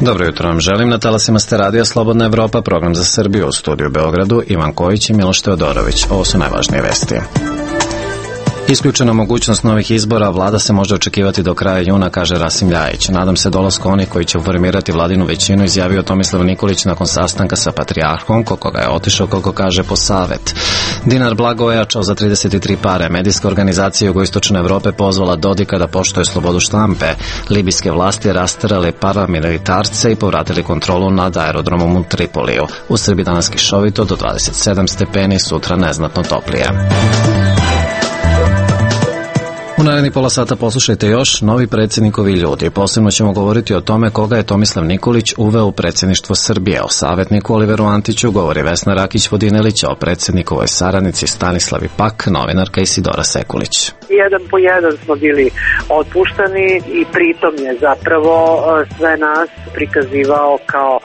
Dobro jutro vam želim. Na talasima ste radija Slobodna Evropa, program za Srbiju, u studiju u Beogradu, Ivan Kojić i Miloš Teodorović. Ovo su najvažnije vesti. Isključena mogućnost novih izbora, vlada se može očekivati do kraja juna, kaže Rasim Ljajić. Nadam se dolasku onih koji će formirati vladinu većinu, izjavio Tomislav Nikolić nakon sastanka sa patrijarhom, koga je otišao, kako kaže, po savet. Dinar blago ojačao za 33 pare. Medijska organizacija Jugoistočne Evrope pozvala Dodika da poštuje slobodu štampe. Libijske vlasti rasterali paramilitarce i povratili kontrolu nad aerodromom u Tripoliju. U Srbiji danas kišovito do 27 stepeni, sutra neznatno toplije. U narednih pola sata poslušajte još novi predsjednikovi ljudi. Posebno ćemo govoriti o tome koga je Tomislav Nikolić uveo u predsjedništvo Srbije. O savjetniku Oliveru Antiću govori Vesna Rakić-Vodinelić, o predsjednikovoj saradnici Stanislavi Pak, novinarka Isidora Sekulić. Jedan po jedan smo bili otpuštani i pritom je zapravo sve nas prikazivao kao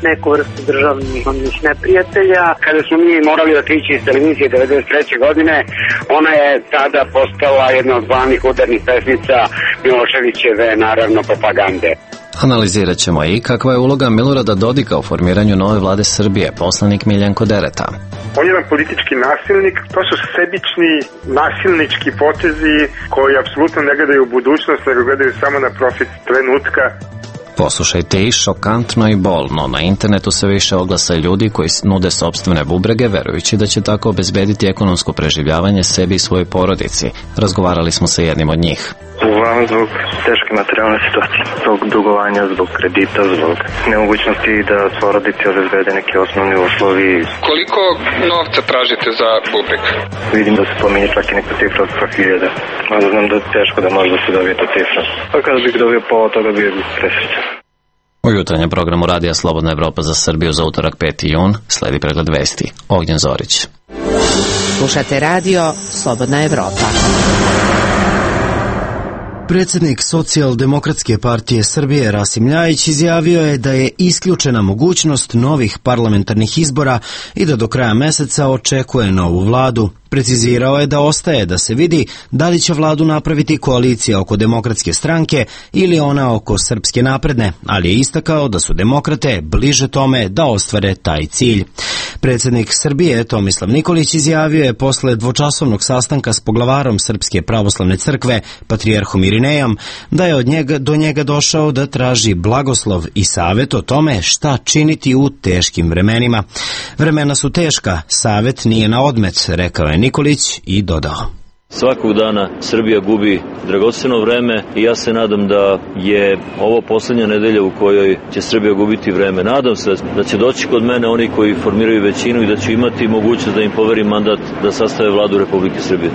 neku vrstu državnih neprijatelja. Kada smo mi morali otići iz televizije 1993. godine, ona je tada postala jedna od glavnih udarnih pesnica Miloševićeve, naravno, propagande. Analizirat ćemo i kakva je uloga Milorada Dodika u formiranju nove vlade Srbije, poslanik Miljenko Dereta. On je jedan politički nasilnik, to su sebični, nasilnički potezi koji apsolutno ne gledaju u budućnost, nego gledaju samo na profit trenutka. Poslušajte i šokantno i bolno. Na internetu sve više oglasa ljudi koji nude sopstvene bubrege, verujući da će tako obezbediti ekonomsko preživljavanje sebi i svojoj porodici. Razgovarali smo sa jednim od njih. Uglavnom zbog teške materijalne situacije, zbog dugovanja, zbog kredita, zbog nemogućnosti da porodici obezbede neki osnovni uslovi. Koliko novca tražite za bubreg? Vidim da se pominje čak i neka cifra od 100.000. Mada znam da je teško da može da se dobije ta cifra. Pa kada bih dobio pola toga bio presrećan. U jutarnjem programu radija Slobodna Evropa za Srbiju za utorak 5. jun sledi pregled vesti. Ognjen Zorić. Slušate radio Slobodna Evropa. Predsjednik Socijaldemokratske partije Srbije Rasim Ljajić izjavio je da je isključena mogućnost novih parlamentarnih izbora i da do kraja meseca očekuje novu vladu. Precizirao je da ostaje da se vidi da li će vladu napraviti koalicija oko Demokratske stranke ili ona oko Srpske napredne, ali je istakao da su demokrate bliže tome da ostvare taj cilj. Predsjednik Srbije Tomislav Nikolić izjavio je posle dvočasovnog sastanka s poglavarom Srpske pravoslavne crkve, patrijarhom Irinejom, da je do njega došao da traži blagoslov i savjet o tome šta činiti u teškim vremenima. Vremena su teška, savjet nije na odmet, rekao je Nikolić i dodao. Svakog dana Srbija gubi dragoceno vreme i ja se nadam da je ovo posljednja nedelja u kojoj će Srbija gubiti vreme. Nadam se da će doći kod mene oni koji formiraju većinu i da ću imati mogućnost da im poverim mandat da sastave vladu Republike Srbije.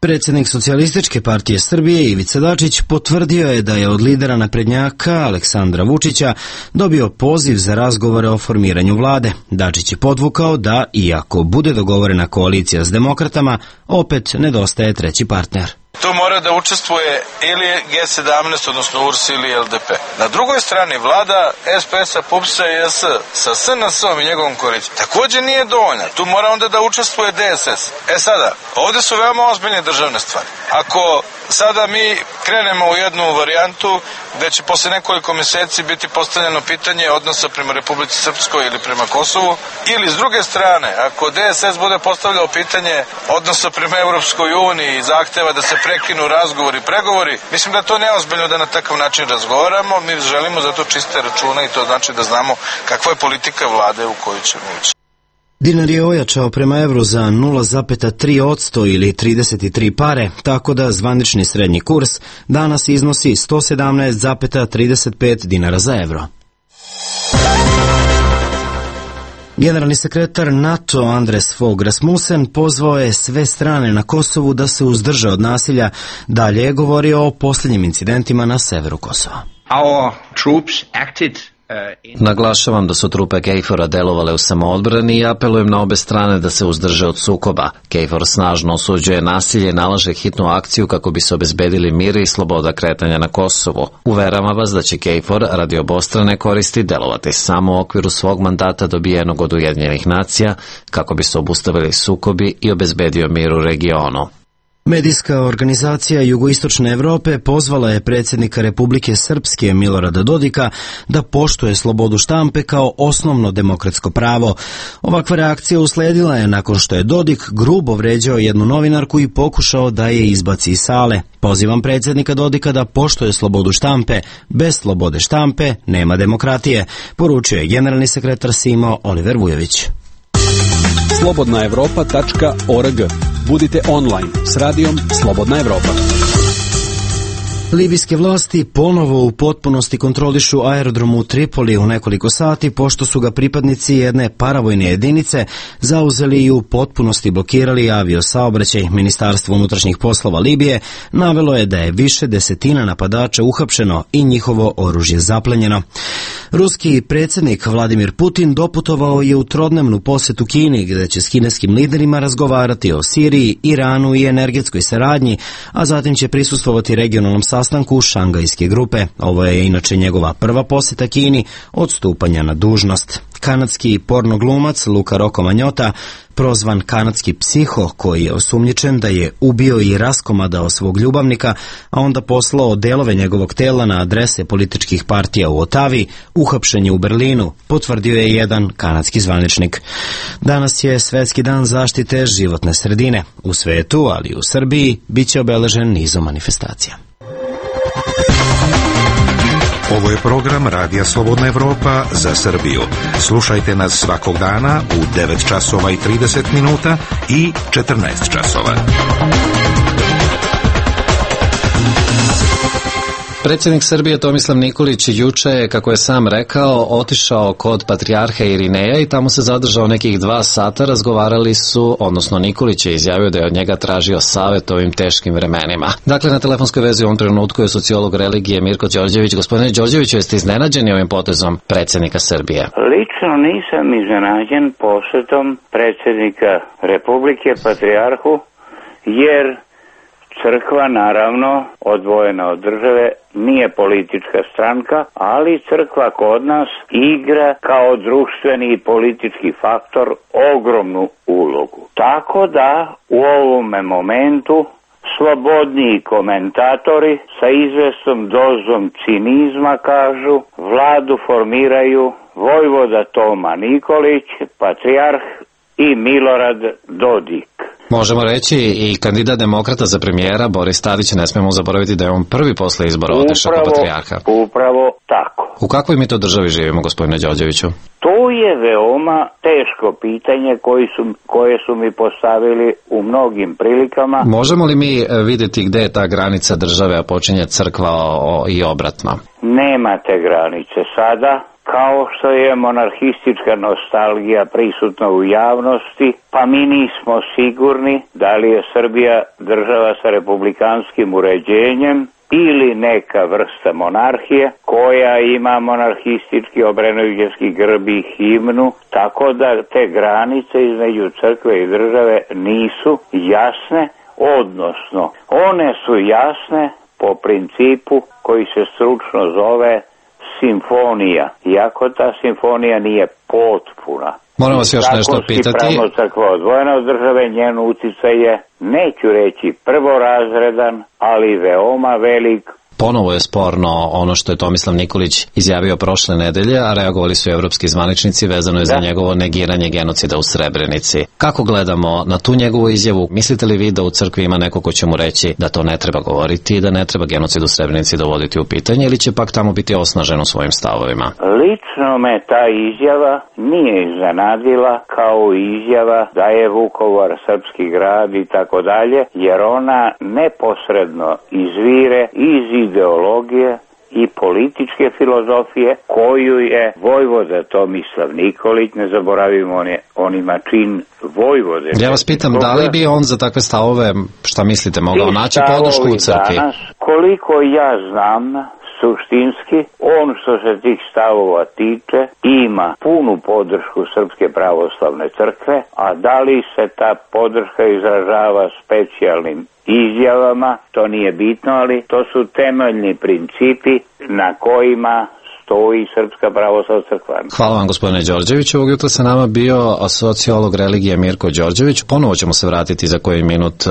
Predsjednik Socijalističke partije Srbije Ivica Dačić potvrdio je da je od lidera naprednjaka Aleksandra Vučića dobio poziv za razgovore o formiranju vlade. Dačić je podvukao da, iako bude dogovorena koalicija s demokratama, opet nedostaje treći partner. Tu mora da učestvuje ili G17, odnosno URS ili LDP. Na drugoj strani vlada SPS-a, PUPS-a i JS sa SNS-om i njegovom koalicijom također nije dovoljna. Tu mora onda da učestvuje DSS. Sada, ovdje su veoma ozbiljne državne stvari. Ako sada mi krenemo u jednu varijantu gde će posle nekoliko mjeseci biti postavljeno pitanje odnosa prema Republici Srpskoj ili prema Kosovu, ili s druge strane, ako DSS bude postavljao pitanje odnosa prema Europskoj uniji i zahteva da se prekinu razgovori i pregovori, mislim da je to neozbiljno da na takav način razgovaramo. Mi želimo zato čiste račune i to znači da znamo kakva je politika vlade u koju ćemo ući. Dinar je ojačao prema evru za 0,3% ili 33 pare, tako da zvanični srednji kurs danas iznosi 117,35 dinara za evro. Generalni sekretar NATO Andres Fogh Rasmussen pozvao je sve strane na Kosovu da se uzdrže od nasilja. Dalje je govorio o posljednjim incidentima na severu Kosova. Our troops acted Naglašavam da su trupe KFOR-a delovale u samoodbrani i apelujem na obe strane da se uzdrže od sukoba. KFOR snažno osuđuje nasilje i nalaže hitnu akciju kako bi se obezbedili mir i sloboda kretanja na Kosovu. Uveravam vas da će KFOR radi obostrane koristi delovati samo u okviru svog mandata dobijenog od Ujedinjenih nacija kako bi se obustavili sukobi i obezbedio mir u regionu. Medijska organizacija Jugoistočne Evrope pozvala je predsjednika Republike Srpske Milorada Dodika da poštuje slobodu štampe kao osnovno demokratsko pravo. Ovakva reakcija usledila je nakon što je Dodik grubo vređao jednu novinarku i pokušao da je izbaci iz sale. Pozivam predsjednika Dodika da poštuje slobodu štampe. Bez slobode štampe nema demokratije, poručio je generalni sekretar Simo Oliver Vujović. slobodnaevropa.org. Budite online s radijom Slobodna Evropa. Libijske vlasti ponovo u potpunosti kontrolišu aerodrom u Tripoli u nekoliko sati, pošto su ga pripadnici jedne paravojne jedinice zauzeli i u potpunosti blokirali aviosaobraćaj. Ministarstvo unutrašnjih poslova Libije navelo je da je više desetina napadača uhapšeno i njihovo oružje zaplenjeno. Ruski predsjednik Vladimir Putin doputovao je u trodnevnu posjetu Kini, gde će s kineskim liderima razgovarati o Siriji, Iranu i energetskoj saradnji, a zatim će prisustvovati regionalnom sastanku Šangajske grupe. Ovo je inače njegova prva posjeta Kini od stupanja na dužnost. Kanadski pornoglumac Luca Rocco Magnotta, prozvan kanadski psiho, koji je osumnjičen da je ubio i raskomadao svog ljubavnika, a onda poslao delove njegovog tela na adrese političkih partija u Otavi, uhapšen je u Berlinu, potvrdio je jedan kanadski zvaničnik. Danas je Svetski dan zaštite životne sredine. U svetu, ali i u Srbiji, bit će obeležen nizom manifestacija. Ovo je program Radija Slobodna Evropa za Srbiju. Slušajte nas svakog dana u 9 časova i 30 minuta i 14 časova. Predsjednik Srbije Tomislav Nikolić juče je, kako je sam rekao, otišao kod patrijarha Irineja i tamo se zadržao nekih 2 sata. Razgovarali su, odnosno Nikolić je izjavio da je od njega tražio savjet ovim teškim vremenima. Dakle, na telefonskoj vezi u ovom trenutku je sociolog religije Mirko Đorđević. Gospodine Đorđeviću, jeste iznenađeni ovim potezom predsjednika Srbije? Lično nisam iznenađen posjetom predsjednika Republike patrijarhu, jer crkva, naravno, odvojena od države, nije politička stranka, ali crkva kod nas igra kao društveni i politički faktor ogromnu ulogu. Tako da u ovome momentu slobodniji komentatori sa izvesnom dozom cinizma kažu: vladu formiraju vojvoda Toma Nikolić, patrijarh i Milorad Dodik. Možemo reći i kandidat demokrata za premijera Boris Tadić, ne smemo zaboraviti da je on prvi posle izbora otišao kod patrijarha. Upravo tako. U kakvoj mi to državi živimo, gospodine Đorđeviću? To je veoma teško pitanje koje su mi postavili u mnogim prilikama. Možemo li mi vidjeti gde je ta granica države, a počinje crkva i obratno? Nema te granice sada. Kao što je monarhistička nostalgija prisutna u javnosti, pa mi nismo sigurni da li je Srbija država sa republikanskim uređenjem ili neka vrsta monarhije koja ima monarhistički obrenovljenski grb i himnu, tako da te granice između crkve i države nisu jasne, odnosno one su jasne po principu koji se stručno zove simfonija, iako ta simfonija nije potpuna. Moram vas još nešto pitati. Pravno crkva odvojena od države, njen uticaj je, neću reći prvorazredan, ali veoma velik. Ponovo je sporno ono što je Tomislav Nikolić izjavio prošle nedelje, a reagovali su evropski zvaničnici, vezano je za njegovo negiranje genocida u Srebrenici. Kako gledamo na tu njegovu izjavu? Mislite li vi da u crkvi ima neko ko će mu reći da to ne treba govoriti i da ne treba genocid u Srebrenici dovoditi u pitanje, ili će pak tamo biti osnažen u svojim stavovima? Lično me ta izjava nije iznenadila, kao izjava da je Vukovar srpski grad i tako dalje, jer ona neposredno izvire iz ideologije i političke filozofije koju je vojvoda Tomislav Nikolić, ne zaboravimo, on ima čin vojvode. Ja vas pitam, da li bi on za takve stavove, šta mislite, mogao naći podršku u crkvi? Danas, koliko ja znam, suštinski, on što se tih stavova tiče ima punu podršku Srpske pravoslavne crkve, a da li se ta podrška izražava specijalnim izjavama, to nije bitno, ali to su temeljni principi na kojima stoji Srpska pravoslavna crkva. Hvala vam, gospodine Đorđević. Ovog jutra sa nama bio sociolog religije Mirko Đorđević. Ponovo ćemo se vratiti za koji minut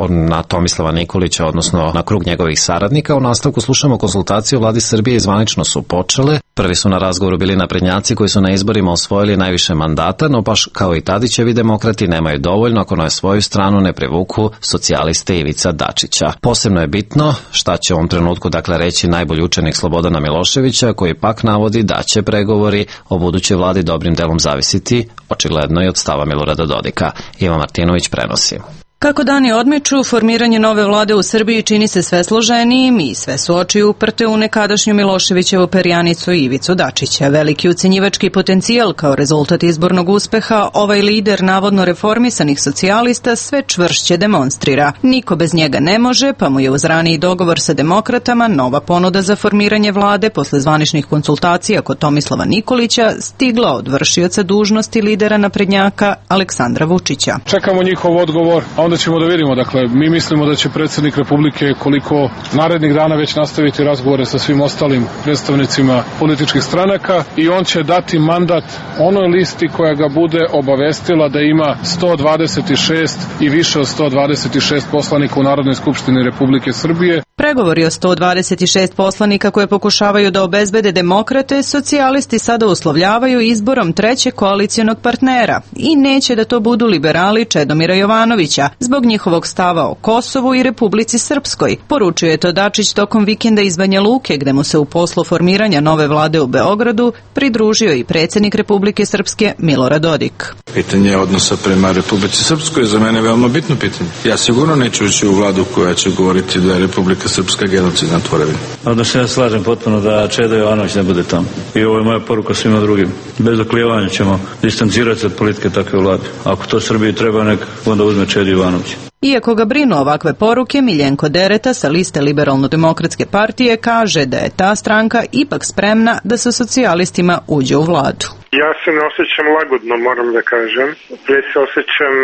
na Tomislava Nikolića, odnosno na krug njegovih saradnika. U nastavku slušamo konsultacije o vladi Srbije i zvanično su počele. Prvi su na razgovoru bili naprednjaci koji su na izborima osvojili najviše mandata, no baš kao i Tadićevi demokrati nemaju dovoljno ako na svoju stranu ne privuku socijaliste Ivica Dačića. Posebno je bitno šta će u ovom trenutku reći najbolji učenik Slobodana Miloševića, koji pak navodi da će pregovori o budućoj vladi dobrim delom zavisiti očigledno i od stava Milorada Dodika. Ivan Martinović prenosi. Kako dani odmiču, formiranje nove vlade u Srbiji čini se sve složenijim i sve su oči uprte u nekadašnju Miloševićevu perjanicu Ivicu Dačića. Veliki ucenjivački potencijal kao rezultat izbornog uspeha ovaj lider navodno reformisanih socijalista sve čvršće demonstrira. Niko bez njega ne može, pa mu je uz raniji dogovor sa demokratama nova ponuda za formiranje vlade posle zvaničnih konsultacija kod Tomislava Nikolića stigla od vršioca dužnosti lidera naprednjaka Aleksandra Vučića. Čekamo njihov odgovor, a onda ćemo da vidimo. Dakle, mi mislimo da će predsjednik Republike koliko narednih dana već nastaviti razgovore sa svim ostalim predstavnicima političkih stranaka i on će dati mandat onoj listi koja ga bude obavestila da ima 126 i više od 126 poslanika u Narodnoj skupštini Republike Srbije. Pregovori o 126 poslanika koje pokušavaju da obezbede demokrate, socijalisti sada uslovljavaju izborom trećeg koalicionog partnera i neće da to budu liberali Čedomira Jovanovića, zbog njihovog stava o Kosovu i Republici Srpskoj. Poručio je to Dačić tokom vikenda iz Banja Luke, gde mu se u poslu formiranja nove vlade u Beogradu pridružio i predsjednik Republike Srpske Milorad Dodik. Pitanje odnosa prema Republici Srpskoj je za mene veoma bitno pitanje. Ja sigurno neću ući u vladu koja će govoriti da je Republika Srpska genocidna tvorevina. Odnosno ja slažem potpuno da Čedo Jovanović ne bude tamo. I ovo je moja poruka svima drugim. Bez oklijevanja ćemo distancirati se od politike takve vlade. Ako to Srbiji treba, nek onda uzme Čedo Jovanović. Iako ga brinu ovakve poruke, Miljenko Dereta sa liste Liberalno-demokratske partije kaže da je ta stranka ipak spremna da sa socijalistima uđe u vladu. Ja se ne osjećam lagodno, moram da kažem. Pre se osjećam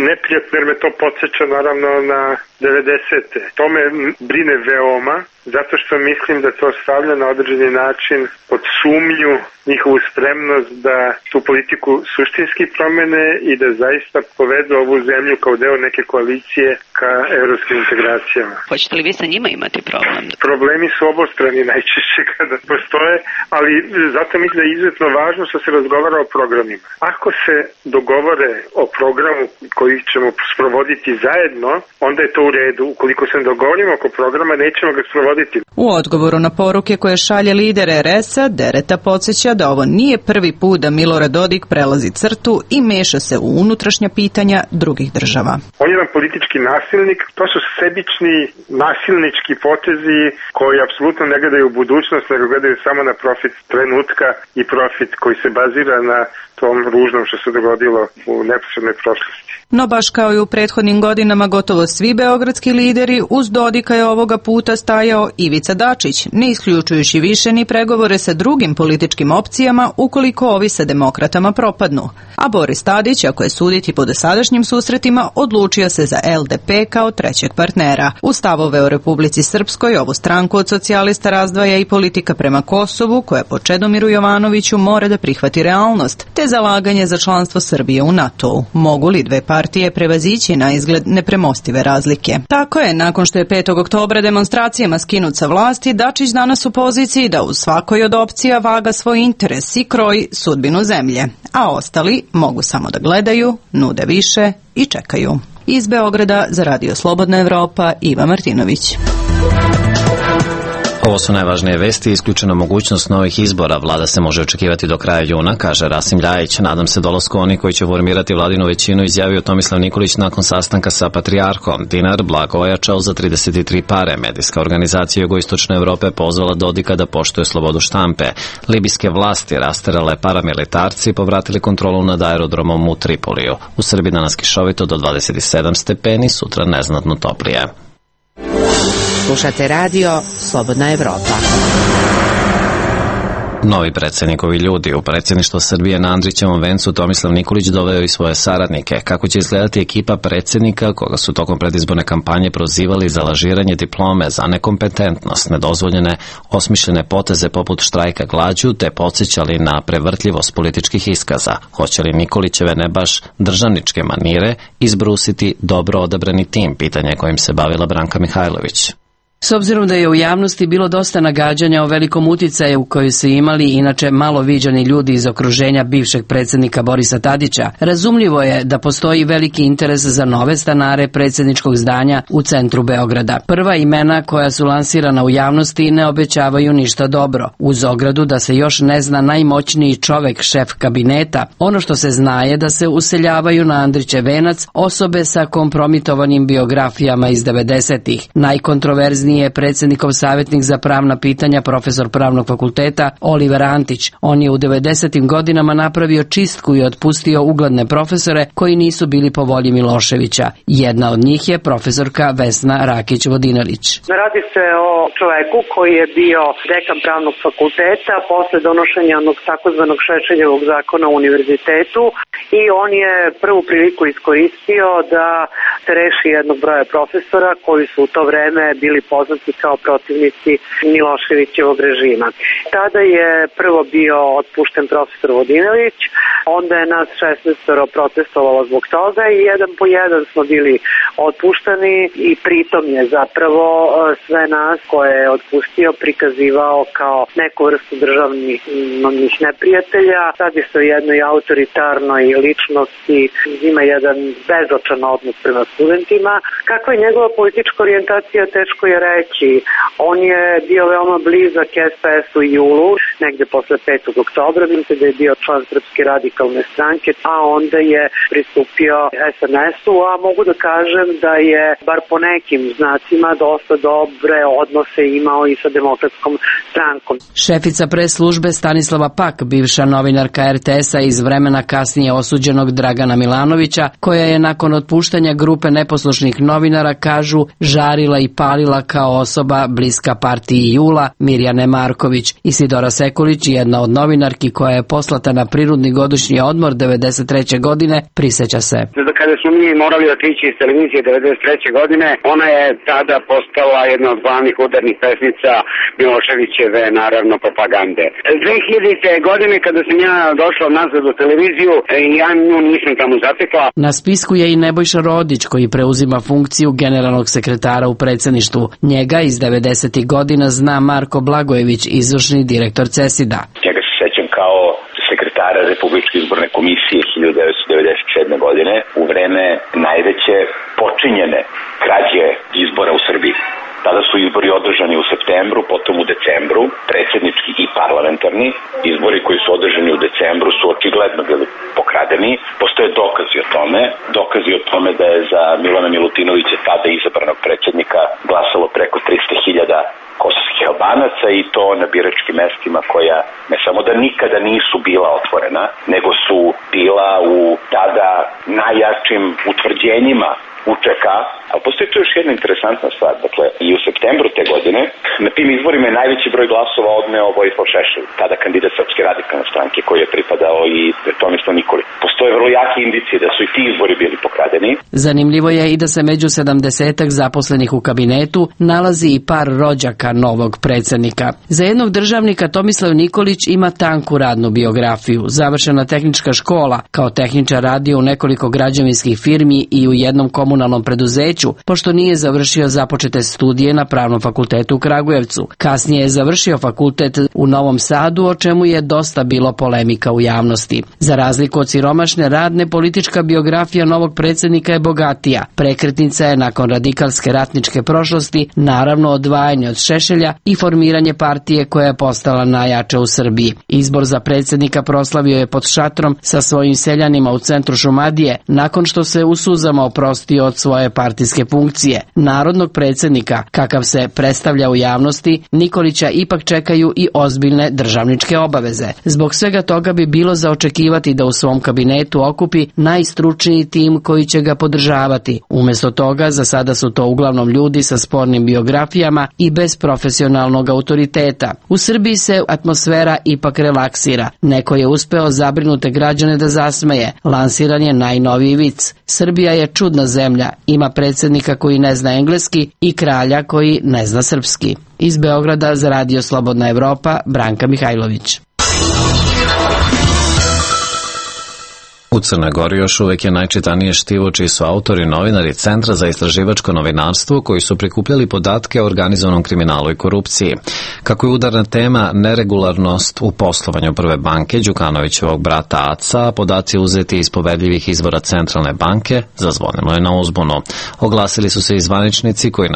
neprijatno jer me to podsjeća naravno na 90-te. To me brine veoma, zato što mislim da to stavlja na određeni način pod sumnju njihovu spremnost da tu politiku suštinski promene i da zaista povedu ovu zemlju kao deo neke koalicije ka evropskim integracijama. Hoćete li vi sa njima imati problem? Problemi su obostrani najčešće kada postoje, ali zato mislim da je izuzetno važno što se razgovara o programima. Ako se dogovore o programu koji ćemo sprovoditi zajedno, onda je to u redu. Ukoliko se dogovorimo oko programa, nećemo ga sprovoditi. U odgovoru na poruke koje šalje lider RS-a, Dereta podsjeća da ovo nije prvi put da Milorad Dodik prelazi crtu i meša se u unutrašnja pitanja drugih država. On je jedan politički nasilnik, to su sebični nasilnički potezi koji apsolutno ne gledaju u budućnost, nego gledaju samo na profit trenutka i profit koji se bazira na tom ružnom što se dogodilo u neposrednoj prošlosti. No baš kao i u prethodnim godinama, gotovo svi beogradski lideri uz Dodika je ovoga puta stajao Ivica Dačić, ne isključujući više ni pregovore sa drugim političkim opcijama ukoliko ovi sa demokratama propadnu. A Boris Tadić, ako je suditi po dosadašnjim susretima, odlučio se za LDP kao trećeg partnera. U stavove o Republici Srpskoj ovu stranku od socijalista razdvaja i politika prema Kosovu, koja po Čedomiru Jovanoviću mora da prihvati realnost, te zalaganje za članstvo Srbije u NATO-u. Mogu li dve partije prevazići na izgled nepremostive razlike? Tako je, nakon što je 5. oktobra demonstracijama skinut sa vlasti, Dačić danas u poziciji da u svakoj od opcija vaga svoj interes i kroji sudbinu zemlje, a ostali mogu samo da gledaju, nude više i čekaju. Iz Beograda za Radio Slobodna Evropa, Iva Martinović. Ovo su najvažnije vesti, isključena mogućnost novih izbora. Vlada se može očekivati do kraja juna, kaže Rasim Ljajić. Nadam se dolasku oni koji će formirati vladinu većinu, izjavio Tomislav Nikolić nakon sastanka sa patrijarhom. Dinar blago ojačao za 33 pare. Medijska organizacija Jugoistočne Evrope pozvala Dodika da poštuje slobodu štampe. Libijske vlasti rasterale paramilitarci i povratili kontrolu nad aerodromom u Tripoliju. U Srbiji danas kišovito do 27 stepeni, sutra neznatno toplije. Slušate radio Slobodna Evropa. Novi predsjednikovi ljudi u predsjedništvo Srbije na Andrićevom vencu Tomislav Nikolić doveo i svoje saradnike. Kako će izgledati ekipa predsjednika, koga su tokom predizborne kampanje prozivali za lažiranje diplome, za nekompetentnost, nedozvoljene osmišljene poteze poput štrajka glađu, te podsjećali na prevrtljivost političkih iskaza. Hoće li Nikolićeve ne baš državničke manire izbrusiti dobro odabrani tim, pitanje kojim se bavila Branka Mihajlović. S obzirom da je u javnosti bilo dosta nagađanja o velikom uticaju koji su imali inače malo viđani ljudi iz okruženja bivšeg predsjednika Borisa Tadića, razumljivo je da postoji veliki interes za nove stanare predsjedničkog zdanja u centru Beograda. Prva imena koja su lansirana u javnosti ne obećavaju ništa dobro. Uz ogradu da se još ne zna najmoćniji čovek, šef kabineta, ono što se zna je da se useljavaju na Andrićev venac osobe sa kompromitovanim biografijama iz 90-ih. Najkontroverzniji je predsjednikov savjetnik za pravna pitanja, profesor pravnog fakulteta Oliver Antić. On je u 90. godinama napravio čistku i otpustio ugledne profesore koji nisu bili po volji Miloševića. Jedna od njih je profesorka Vesna Rakić-Vodinelić. Radi se o čoveku koji je bio dekan pravnog fakulteta posle donošenja onog takozvanog Šešeljevog zakona u univerzitetu i on je prvu priliku iskoristio da se reši jednog broja profesora koji su u to vreme bili poznati kao protivnici Miloševićevog režima. Tada je prvo bio otpušten profesor Vodinelić, onda je nas 16 protestovalo zbog toga i jedan po jedan smo bili otpuštani i pritom je zapravo sve nas koje je otpustio prikazivao kao neku vrstu državnih neprijatelja. Radi se o jednoj autoritarnoj ličnosti, ima jedan bezočan odnos prema studentima. Kakva je njegova politička orijentacija, teško je reći. On je bio veoma blizak SPS-u i JUL-u, negde posle 5. oktobra, mislim da je bio član Srpske radikalne stranke, a onda je pristupio SNS-u, a mogu da kažem da je, bar po nekim znacima, dosta dobre odnose imao i sa Demokratskom strankom. Šefica pres službe Stanislava Pak, bivša novinarka RTS-a iz vremena kasnije osuđenog Dragana Milanovića, koja je nakon otpuštanja grupe neposlušnih novinara, kažu, žarila i palila kao osoba bliska partiji JUL-a, Mirjane Marković. Isidora Sekulić, jedna od novinarki koja je poslata na prinudni godišnji odmor 93. godine, prisjeća se. Kada smo mi morali otići iz televizije 93. godine, ona je tada postala jedna od glavnih udarnih pesnica Miloševićeve, naravno, propagande. 2000. godine, kada sam ja došao nazad u televiziju, ja nju nisam tamo zatekla. Na spisku je i Nebojša Rodić, koji preuzima funkciju generalnog sekretara u predsjedništvu. Njega iz 90. godina zna Marko Blagojević, izvršni direktor CESID-a. Njega se sećam kao sekretara Republičke izborne komisije 1997. godine u vreme najveće počinjene krađe izbora u Srbiji. Tada su izbori održani u septembru, potom u decembru, predsjednički i parlamentarni. Izbori koji su održani u decembru su očigledno bili pokradeni. Postoje dokazi o tome da je za Milana Milutinovića, tada izabranog predsjednika, glasalo preko 300.000 kosovskih Albanaca i to na biračkim mestima koja ne samo da nikada nisu bila otvorena, nego su bila u tada najjačim utvrđenjima UČK, ali postoji tu još jedna interesantna stvar. Dakle, i u septembru te godine na tim izborima je najveći broj glasova odneo Vojislav Šešelj, tada kandidat Srpske radikalne stranke koji je pripadao i Tomislav Nikolić. Postoje vrlo jake indicije da su i ti izbori bili pokradeni. Zanimljivo je i da se među 70-ak zaposlenih u kabinetu nalazi i par rođaka novog predsjednika. Za jednog državnika Tomislav Nikolić ima tanku radnu biografiju. Završena tehnička škola, kao tehničar radio u nekoliko građevinskih firmi i u jednom komunalnom preduzeću, pošto nije završio započete studije na Pravnom fakultetu u Kragujevcu. Kasnije je završio fakultet u Novom Sadu, o čemu je dosta bilo polemika u javnosti. Za razliku od siromašne radne, politička biografija novog predsjednika je bogatija. Prekretnica je nakon radikalske ratničke prošlosti, naravno odvajanje od Šešelja i formiranje partije koja je postala najjača u Srbiji. Izbor za predsjednika proslavio je pod šatrom sa svojim seljanima u centru Šumadije, nakon što se u suzama oprostio od svoje partijske funkcije. Narodnog predsjednika, kakav se predstavlja u javnosti, Nikolića ipak čekaju i ozbiljne državničke obaveze. Zbog svega toga bi bilo za očekivati da u svom kabinetu okupi najstručniji tim koji će ga podržavati. Umjesto toga, za sada su to uglavnom ljudi sa spornim biografijama i bez profesionalnog autoriteta. U Srbiji se atmosfera ipak relaksira. Neko je uspeo zabrinute građane da zasmeje. Lansiran je najnoviji vic. Srbija je čudna zemlja. Ima predsjednika koji ne zna engleski i kralja koji ne zna srpski. Iz Beograda za Radio Slobodna Evropa, Branka Mihajlović. U Crnoj Gori još uvek je najčitanije štivo čiji su autori novinari Centra za istraživačko novinarstvo koji su prikupljali podatke o organizovanom kriminalu i korupciji. Kako je udarna tema neregularnost u poslovanju Prve banke Đukanovićevog brata Aca, podaci uzeti iz poverljivih izvora Centralne banke zazvonilo je na uzbunu. Oglasili su se i zvaničnici koji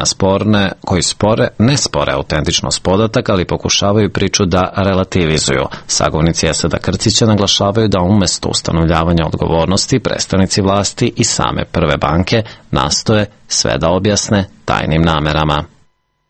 ne spore autentičnost podataka, ali pokušavaju priču da relativizuju. Sagovnici Esada Krcića naglašavaju da umesto ustanovljavanja odgovornosti predstavnici vlasti i same Prve banke nastoje sve da objasne tajnim namerama.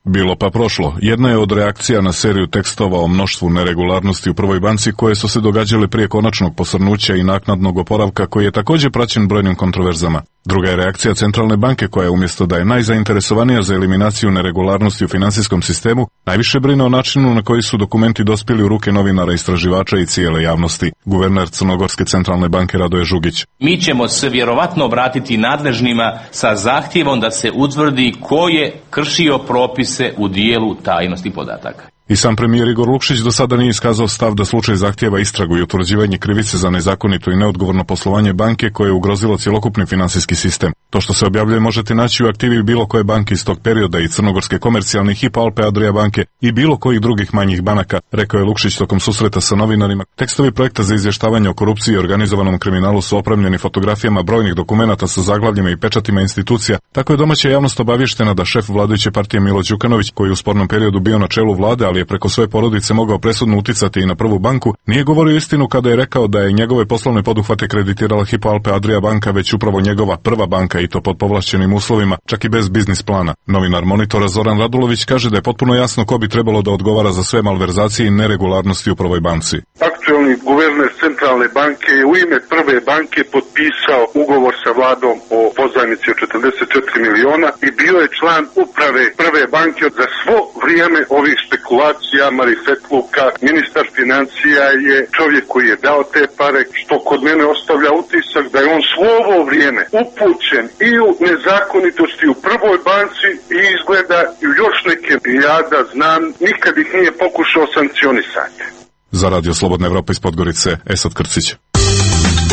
Bilo pa prošlo. Jedna je od reakcija na seriju tekstova o mnoštvu neregularnosti u Prvoj banci koje su se događale prije konačnog posrnuća i naknadnog oporavka koji je također praćen brojnim kontroverzama. Druga je reakcija Centralne banke koja umjesto da je najzainteresovanija za eliminaciju neregularnosti u finansijskom sistemu, najviše brine o načinu na koji su dokumenti dospjeli u ruke novinara, istraživača i cijele javnosti. Guverner Crnogorske Centralne banke Radoje Žugić. Mi ćemo se vjerovatno obratiti nadležnima sa zahtjevom da se utvrdi ko je kršio propise u dijelu tajnosti podataka. I sam premijer Igor Lukšić do sada nije iskazao stav da slučaj zahtijeva istragu i utvrđivanje krivice za nezakonito i neodgovorno poslovanje banke koje je ugrozilo cjelokupni finansijski sistem. To što se objavljuje možete naći u aktivi bilo koje banke iz tog perioda i Crnogorske komercijalne Hypo Alpe Adria banke i bilo kojih drugih manjih banaka, rekao je Lukšić tokom susreta sa novinarima. Tekstovi projekta za izvještavanje o korupciji i organizovanom kriminalu su opremljeni fotografijama brojnih dokumenata sa zaglavljima i pečatima institucija. Tako je domaća javnost obavještena da šef vladajuće partije Milo Đukanović, koji je u spornom periodu bio na čelu vlade, ali je preko svoje porodice mogao presudno uticati i na Prvu banku, nije govorio istinu kada je rekao da je njegove poslovne poduhvate kreditirala Hypo Alpe Adria banka, već upravo njegova Prva banka i to pod povlašćenim uslovima, čak i bez biznis plana. Novinar Monitora Zoran Radulović kaže da je potpuno jasno ko bi trebalo da odgovara za sve malverzacije i neregularnosti u Prvoj banci. Aktualni guverner Centralne banke je u ime Prve banke potpisao ugovor sa vladom o pozajmici od 44 miliona i bio je član uprave Prve banke za svo vrijeme ovih spekulacija, marifetluka. Ministar financija je čovjek koji je dao te pare, što kod mene ostavlja utisak da je on svo ovo vrijeme upućen i u nezakonitosti u Prvoj banci i izgleda i još neke. Ja da znam, nikad ih nije pokušao sankcionisati. Za Radio Slobodna Evropa iz Podgorice, Esad Krcić.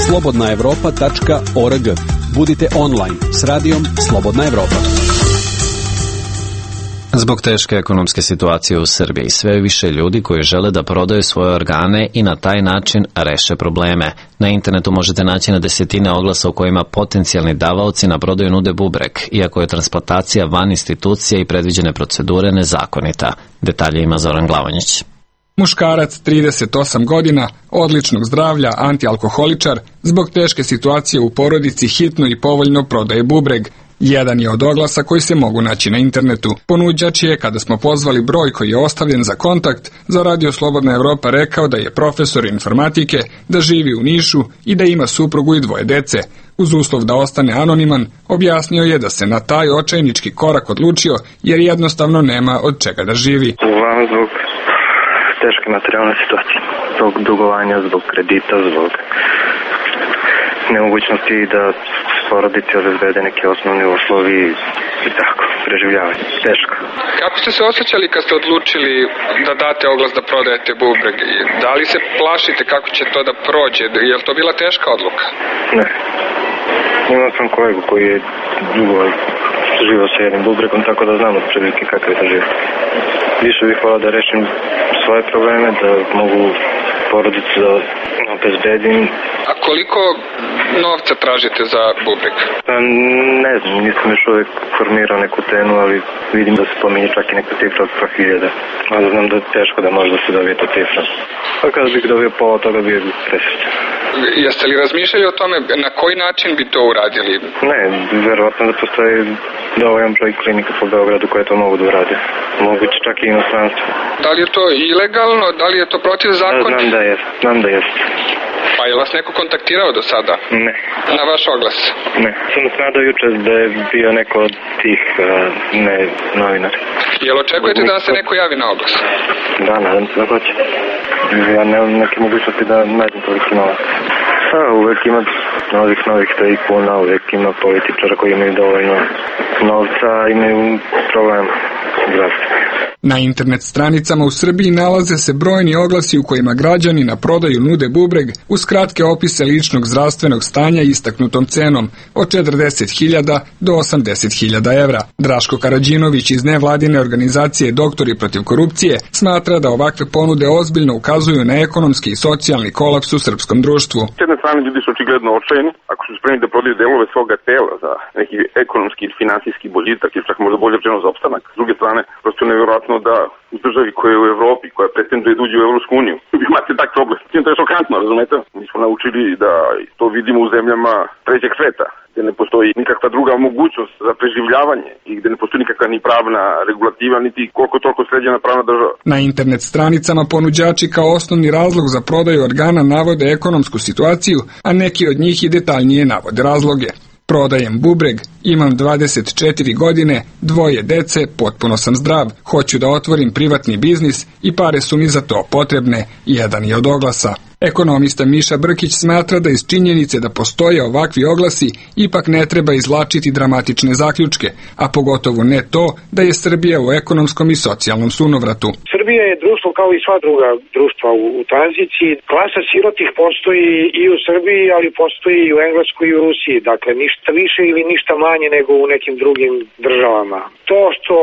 slobodnaevropa.org. Budite online s radijom Slobodna Evropa. Zbog teške ekonomske situacije u Srbiji, sve više ljudi koji žele da prodaju svoje organe i na taj način reše probleme. Na internetu možete naći na desetine oglasa u kojima potencijalni davaoci na prodaju nude bubreg, iako je transplantacija van institucija i predviđene procedure nezakonita. Detalje ima Zoran Glavonjić. Muškarac, 38 godina, odličnog zdravlja, antialkoholičar, zbog teške situacije u porodici hitno i povoljno prodaje bubreg. Jedan je od oglasa koji se mogu naći na internetu. Ponuđač je, kada smo pozvali broj koji je ostavljen za kontakt, za Radio Slobodna Evropa rekao da je profesor informatike, da živi u Nišu i da ima suprugu i 2 dece. Uz uslov da ostane anoniman, objasnio je da se na taj očajnički korak odlučio jer jednostavno nema od čega da živi. Uglavnom zbog teške materijalne situacije, zbog dugovanja, zbog kredita, zbog nemogućnosti da porodici obezbede neki osnovni uslovi i tako, preživljavanje. Teško. Kako ste se osjećali kad ste odlučili da date oglas da prodajete bubreg? Da li se plašite kako će to da prođe? Je li to bila teška odluka? Ne. Imao sam kolegu koji je dugo živao sa jednim bubregom, tako da znam od prilike kakav je to život. Više bih volao da rešim svoje probleme, da mogu porodicu da obezbedim. A koliko novca tražite za bubreg? Ne znam, nisam još uvijek formirao neku cenu, ali vidim da se pominje čak i neka cifra od 100.000. Ali znam da je teško da može da se dobije ta cifra. Pa kada bih dobio pola toga bio bih presrećan. Jeste li razmišljali o tome na koji način bi to uradili? Ne, verovatno da postoji dovoljan broj klinika po Beogradu koje to mogu da urade. Moguće čak i inostranstvo. Da li je to ilegalno? Da li je to protiv zakona? Znam da je. Pa je vas neko kontaktirao do sada? Ne. Na vaš oglas? Ne. Sam se nadao juče da je bio neko od tih novinara. Jel očekujete da se neko javi na oglas? Da, nadam se da hoće. Ja nemam neke mogućnosti da nađem toliko novac. Uvek ima novih tajkuna, uvek ima političara koji imaju dovoljno novca, imaju problem zdravstveni. Na internet stranicama u Srbiji nalaze se brojni oglasi u kojima građani na prodaju nude bubreg uz kratke opise ličnog zdravstvenog stanja istaknutom cenom od 40.000 do 80.000 evra. Draško Karadžinović iz nevladine organizacije Doktori protiv korupcije smatra da ovakve ponude ozbiljno ukazuju na ekonomski i socijalni kolaps u srpskom društvu. S jedne strane ljudi su očigledno očajeni, ako su spremni da prodaju delove svoga tela za neki ekonomski ili finansijski boljitak ili čak možda bolje rečeno za opstanak. S druge strane, prosto je nevjerojatno da u državi koja je u Evropi, koja pretenduje da uđe u Evropsku uniju, imate tak problem. To je šokantno, razumete? Mi smo naučili da to vidimo u zemljama trećeg sveta, gde ne postoji nikakva druga mogućnost za preživljavanje i gde ne postoji nikakva ni pravna regulativa, niti koliko toliko sređena pravna država. Na internet stranicama ponuđači kao osnovni razlog za prodaju organa navode ekonomsku situaciju, a neki od njih i detaljnije navode razloge. Prodajem bubreg, imam 24 godine, 2 dece, potpuno sam zdrav, hoću da otvorim privatni biznis i pare su mi za to potrebne, jedan je od oglasa. Ekonomista Miša Brkić smatra da iz činjenice da postoje ovakvi oglasi ipak ne treba izvlačiti dramatične zaključke, a pogotovo ne to da je Srbija u ekonomskom i socijalnom sunovratu. Srbija je društvo kao i sva druga društva u tranziciji. Klasa sirotih postoji i u Srbiji, ali postoji i u Engleskoj i u Rusiji. Dakle, ništa više ili ništa manje nego u nekim drugim državama. To što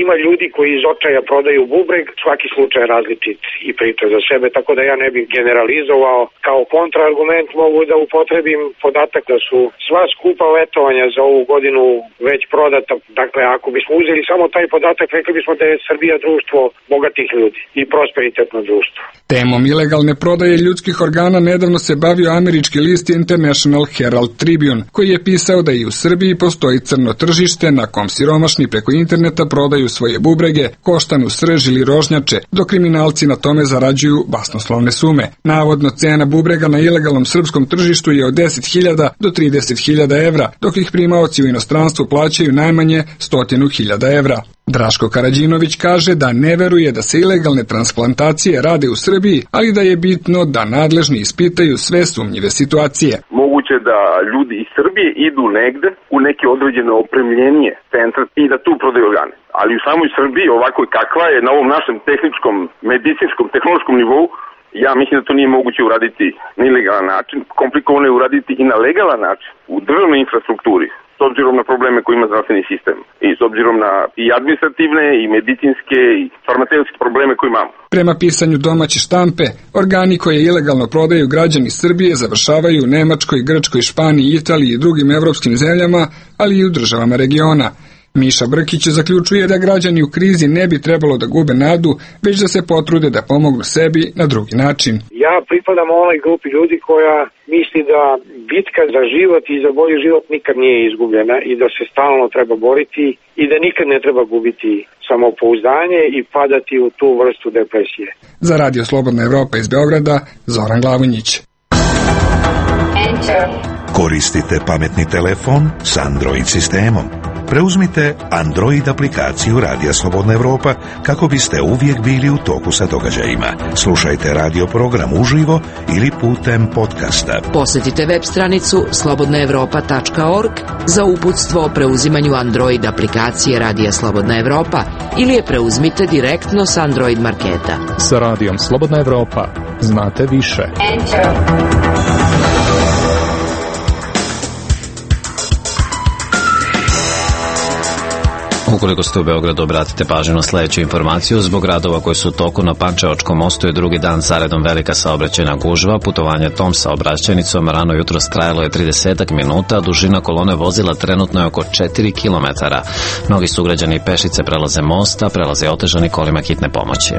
ima ljudi koji iz očaja prodaju bubreg, svaki slučaj je različit i priča za sebe, tako da ja ne bih generalizovao. Kao kontraargument mogu da upotrebim podatak da su sva skupa letovanja za ovu godinu već prodata. Dakle, ako bismo uzeli samo taj podatak, rekli bismo da je Srbija društvo bogatih ljudi i prosperitetno društvo. Temom ilegalne prodaje ljudskih organa nedavno se bavio američki list International Herald Tribune, koji je pisao da i u Srbiji postoji crno tržište na kom siromašni preko interneta prodaju svoje bubrege, koštanu srž ili rožnjače, dok kriminalci na tome zarađuju basnoslovne sume. Navodno cena bubrega na ilegalnom srpskom tržištu je od 10.000 do 30.000 evra, dok ih primaoci u inostranstvu plaćaju najmanje 100.000 evra. Draško Karadžinović kaže da ne veruje da se ilegalne transplantacije rade u Srbiji, ali da je bitno da nadležni ispitaju sve sumnjive situacije. Moguće da ljudi iz Srbije idu negde u neke određene opremljenije centra i da tu prodaju organe. Ali u samoj Srbiji, ovako kakva je na ovom našem tehničkom, medicinskom, tehnološkom nivou, ja mislim da to nije moguće uraditi na ilegalan način. Komplikovano je uraditi i na legalan način u državnoj infrastrukturi, s obzirom na probleme koje ima zdravstveni sistem i s obzirom na i administrativne i medicinske i farmaceutske probleme koje imamo. Prema pisanju domaće štampe, organi koje ilegalno prodaju građani Srbije završavaju u Nemačkoj, Grčkoj, Španiji, Italiji i drugim evropskim zemljama, ali i u državama regiona. Miša Brkić zaključuje da građani u krizi ne bi trebalo da gube nadu, već da se potrude da pomognu sebi na drugi način. Ja pripadam onoj grupi ljudi koja misli da bitka za život i za bolji život nikad nije izgubljena i da se stalno treba boriti i da nikad ne treba gubiti samopouzdanje i padati u tu vrstu depresije. Za Radio Slobodna Evropa iz Beograda, Zoran Glavonjić. Koristite pametni telefon s Android sistemom. Preuzmite Android aplikaciju Radija Slobodna Evropa kako biste uvijek bili u toku sa događajima. Slušajte radio program uživo ili putem podcasta. Posjetite web stranicu slobodnaevropa.org za uputstvo o preuzimanju Android aplikacije Radija Slobodna Evropa ili je preuzmite direktno s Android marketa. Sa Radijom Slobodna Evropa znate više. Ukoliko ste u Beogradu, obratite pažnju na sljedeću informaciju. Zbog radova koji su u toku na Pančevačkom mostu je drugi dan zaredom velika saobraćajna gužva. Putovanje tom saobraćajnicom rano jutros trajalo je 30 minuta, dužina kolone vozila trenutno je oko 4 km. Mnogi sugrađani i pešice prelaze mosta, prelaze otežani kolima hitne pomoći.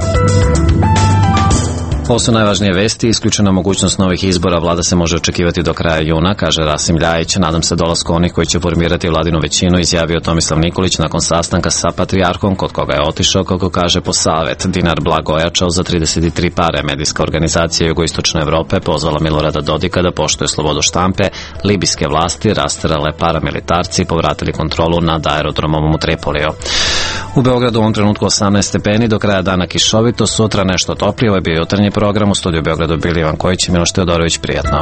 Ovo su najvažnije vesti, isključena mogućnost novih izbora, vlada se može očekivati do kraja juna, kaže Rasim Ljajić. Nadam se dolasku onih koji će formirati vladinu većinu, izjavio Tomislav Nikolić nakon sastanka sa patrijarhom, kod koga je otišao, kako kaže, po savet. Dinar blago ojačao za 33 pare. Medijska organizacija Jugoistočne Evrope pozvala Milorada Dodika da poštuje slobodu štampe. Libijske vlasti rasterale paramilitarci i povratili kontrolu nad aerodromom u Tripoliju. U Beogradu u ovom trenutku 18 stepeni, do kraja dana kišovito, sutra nešto toplije. Ovo je bio jutarnji program, u studiju Beogradu bili Ivan Kojić i Miloš Teodorović. Prijatno.